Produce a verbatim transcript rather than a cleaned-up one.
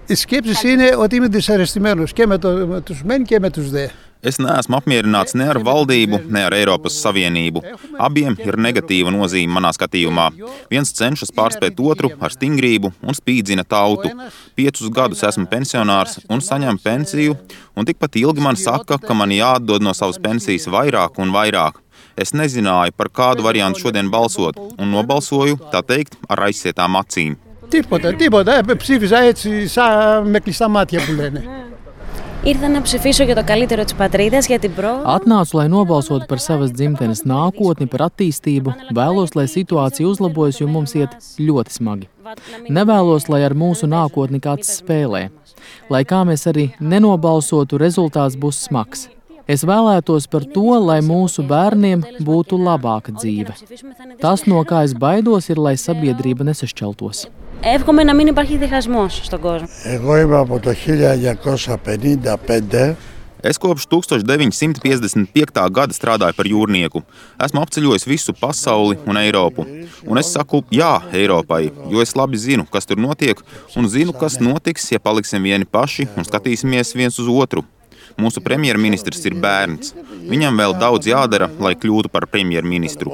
Οι σκέψεις είναι ότι είμαι δυσαρεστημένος και με, το, με τους μεν και με τους δε. Es neesmu apmierināts ne ar valdību, ne ar Eiropas Savienību. Abiem ir negatīva nozīme manā skatījumā. Viens cenšas pārspēt otru ar stingrību un spīdzina tautu. Piecus gadus esmu pensionārs un saņemu pensiju, un tikpat ilgi man saka, ka man jāatdod no savas pensijas vairāk un vairāk. Es nezināju, par kādu variantu šodien balsot, un nobalsoju, tā teikt, ar aizsietām acīm. Τίποτα, τίποτα. Ψήφιζα έτσι σαν με κλειστά μάτια που λένε. Ήρθα να ψηφίσω για το καλύτερο της πατρίδας, για την πρόοδο. Atnācu, lai nobalsotu par savas dzimtenes nākotni, par attīstību. Vēlos, lai situācija uzlabojas, jo mums iet ļoti smagi. Nevēlos, lai ar mūsu nākotni kāds spēlē. Lai kā mēs arī nenobalsotu, rezultāts būs smags. Es vēlētos par to, lai mūsu bērniem būtu labāka dzīve. Tas, no kā es baidos, ir, lai sabiedrība nesašķeltos. Εύχομαι να μην υπάρχει διχασμός στον κόσμο. Εγώ είμαι από το χίλια εννιακόσια πενήντα πέντε. Es kopš tūkstoš deviņi simti piecdesmit piektā gada strādāju par jūrnieku. Esmu apceļojis visu pasauli un Eiropu. Un es saku jā Eiropai, jo es labi zinu, kas tur notiek, un zinu, kas notiks, ja paliksim vieni paši un skatīsimies viens uz otru. Mūsu premjerministrs ir bērns. Viņam vēl daudz jādara, lai kļūtu par premjerministru.